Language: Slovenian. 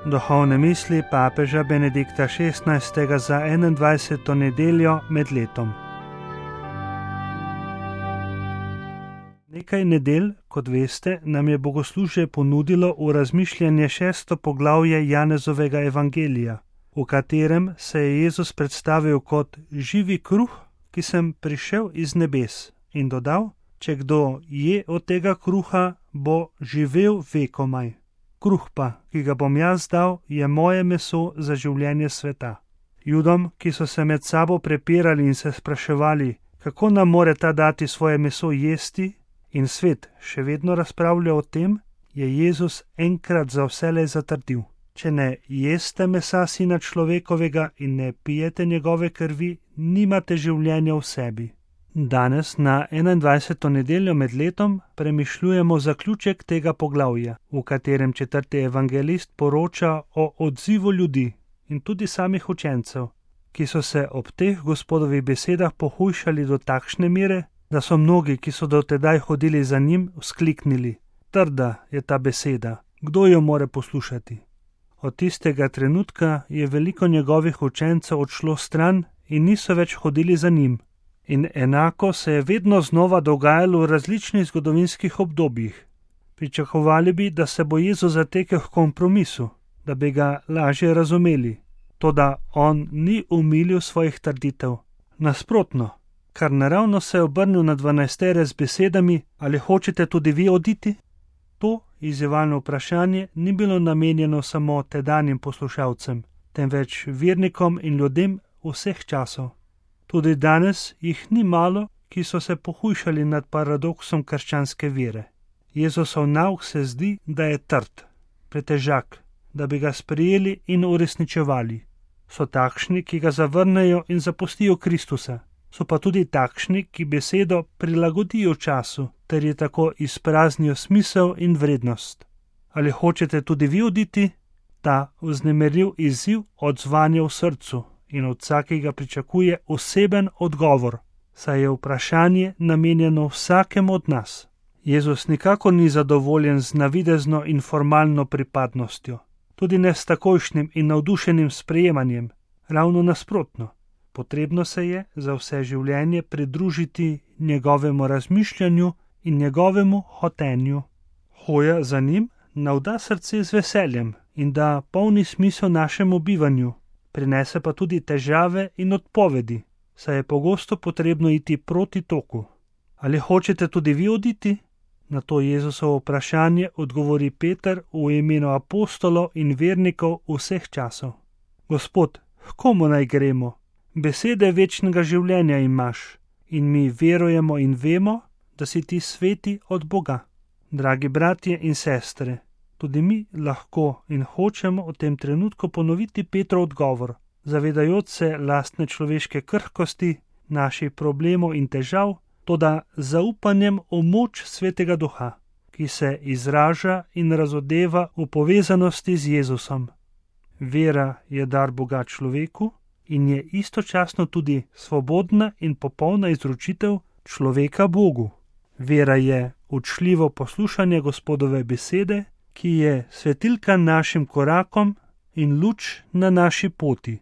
Duhovne misli papeža Benedikta XVI. Za 21. nedeljo med letom. Nekaj nedelj, kot veste, nam je bogoslužje ponudilo v razmišljanje 6. poglavje Janezovega evangelija, v katerem se je Jezus predstavil kot živi kruh, ki sem prišel iz nebes, in dodal: če kdo je od tega kruha, bo živel vekomaj. Kruh pa, ki ga bom jaz dal, je moje meso za življenje sveta. Judom, ki so se med sabo prepirali in se spraševali, kako nam more ta dati svoje meso jesti, in svet še vedno razpravlja o tem, je Jezus enkrat za vselej zatrdil: če ne jeste mesa Sina človekovega in ne pijete njegove krvi, nimate življenja v sebi. Danes, na 21. nedeljo med letom, premišljujemo zaključek tega poglavja, v katerem 4. evangelist poroča o odzivu ljudi in tudi samih učencev, ki so se ob teh Gospodovih besedah pohujšali do takšne mere, da so mnogi, ki so do tedaj hodili za njim, vzkliknili: trda je ta beseda, kdo jo more poslušati? Od tistega trenutka je veliko njegovih učencev odšlo stran in niso več hodili za njim. In enako se je vedno znova dogajalo v različnih zgodovinskih obdobjih. Pričakovali bi, da se bo Jezus zatekel k kompromisu, da bi ga lažje razumeli. Toda on ni umilil svojih trditev. Nasprotno, kar naravno se je obrnil na 12 z besedami: ali hočete tudi vi oditi? To izzivalno vprašanje ni bilo namenjeno samo tedanjim poslušalcem, temveč vernikom in ljudem vseh časov. Tudi danes jih ni malo, ki so se pohujšali nad paradoksom krščanske vere. Jezusov nauk se zdi, da je trd, pretežak, da bi ga sprejeli in uresničevali. So takšni, ki ga zavrnejo in zapustijo Kristusa. So pa tudi takšni, ki besedo prilagodijo času, ter je tako izpraznijo smisel in vrednost. Ali hočete tudi vi oditi? Ta vznemirljiv izziv odzvanja v srcu in od vsakega pričakuje oseben odgovor, saj je vprašanje namenjeno vsakemu od nas. Jezus nikakor ni zadovoljen z navidezno in formalno pripadnostjo, tudi ne s takojšnjim in navdušenim sprejemanjem, ravno nasprotno. Potrebno se je za vse življenje pridružiti njegovemu razmišljanju in njegovemu hotenju. Hoja za njim navda srce z veseljem in da polni smisel našemu bivanju, prinese pa tudi težave in odpovedi, saj je pogosto potrebno iti proti toku. Ali hočete tudi vi oditi? Na to Jezusovo vprašanje odgovori Peter v imenu apostolov in vernikov vseh časov: Gospod, h komu naj gremo? Besede večnega življenja imaš in mi verujemo in vemo, da si ti sveti od Boga. Dragi bratje in sestre, tudi mi lahko in hočemo v tem trenutku ponoviti Petrov odgovor, zavedajoč se lastne človeške krhkosti, naših problemov in težav, toda zaupanjem v moč Svetega Duha, ki se izraža in razodeva v povezanosti z Jezusom. Vera je dar Boga človeku in je istočasno tudi svobodna in popolna izročitev človeka Bogu. Vera je učljivo poslušanje Gospodove besede, ki je svetilka našim korakom in luč na naši poti.